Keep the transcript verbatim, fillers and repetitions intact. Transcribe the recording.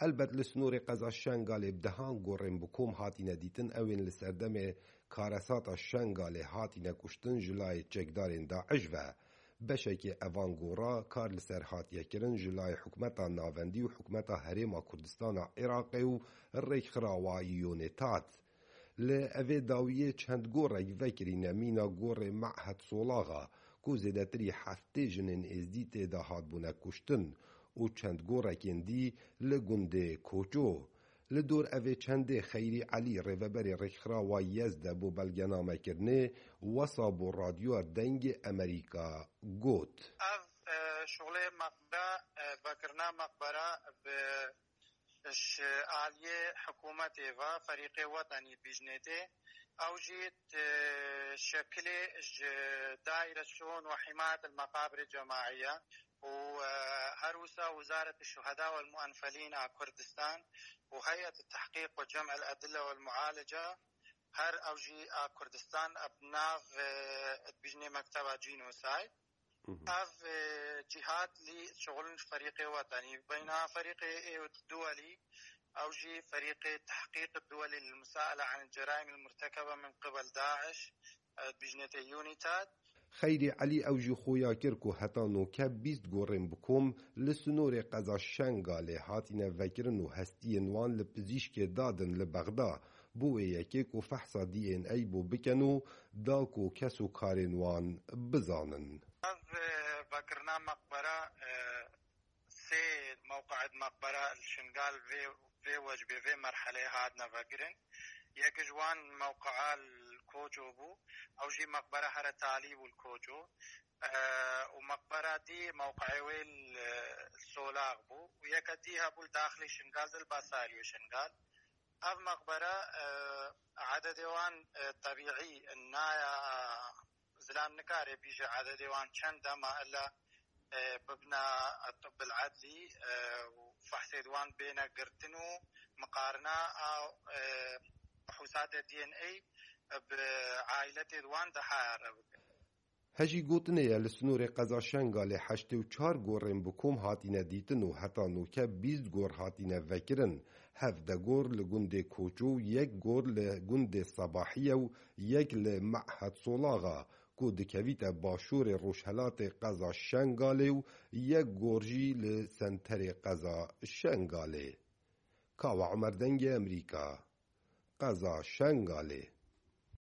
Helbet li snorê qeza Şengalê bi dehan gorên bi kom hatine dîtin, ew ên li serdemê karesata Şengalê hatine kuştin ji layê çekdarên DAIŞ ve. Beşekê evan gora kar li ser hatiye kirin ji layê hikûmeta navendî û hikûmeta Herêma Kurdistana Iraqê û rêkxirawa UNITAD. Li evê dawiyê çend gorek vekirîne mîna gorê Mehed Solaxa, ku zêdetirî heftê jinên êzdî tê de hatbûne kuştin û çend gorekên dî li gundê Koço. Li dor evê çendê Xeyrî Elî, rêveberê rêkxirawa YES de bo belgenamekirinê, wesa bo Radyoya Dengê Amerîka got. Ev, e, şuxulê meqbera, e, vekirina meqbera bi ji aliyê hikûmetê ve, ferîqê wetenî dibîjnê tê. Ew jî, e, şekilê ji Daîre Şûn ve Himayet el Meqabirê Cemaiye û, e, her wisa Wizaret Şuheda wel Muenfelîn a Kurdistan û Heyet Tehqîq ve Cem el Edille wel Mualice, her ew jî a Kurdistan, ev nav, e, dibîjnê Mekteba Genocide. Hı hı. Ev, e, cîhat lî şixulin ji ferîqê wetenî. Beyna ferîqê ê duwelî, ew jî ferîqê tehqîq duwelî lil musaele anil ceraîm il murtekebe min qibel DAIŞ, e, dibîjnê tê UNITAD. Xeyrî Elî ew jî xuya kir ku heta noke bîst gorên bi kom li sinorê qeza Şengalê hatine vekirin û hestiyên wan li pizîşkê dadin li Bexda. Bo wê yekê ku fehsa DNA bo bikin û da ku kes û karên wan bizanin. Ev, e, vekirina meqbera, e, sê mewqeet meqbera li Şingal vê, vê wecbê, vê merheleyê hatine vekirin. Yek ji wan mewqea li Koço bû, ew jî meqbera here talî bû li Koço. E, û meqbera dî mewqeê wê li, li Solax bû. Û yeke dî hebû li daxilê Şingal de li Basariyê Şingal. Ev meqbere, e, ededê wan, e, tebîî naya, e, zilam nikare bîje ededê wan çend e, ma illa, e, bibna tibbil edlî, e, û fehsê di wan bêne girtin û miqarina a, e, fehûsatê DNA bi ailetê di wan de haya re bikin. Hejî gotinê ye, li sinorê qeza Şengalê heştê û çar gorên bi kom hatîne dîtin û heta noke bîst gor hatîne vekirin. Hevdeh gor li gundê Koço, yek gor li gundê Sebahiye û yek li Mehed Solaxa, ku dikevîte başûrê rojhelatê qeza Şengalê û yek gor jî li senterê qeza Şengalê. Kawa Omer, Dengê Emerîka, qeza Şengalê.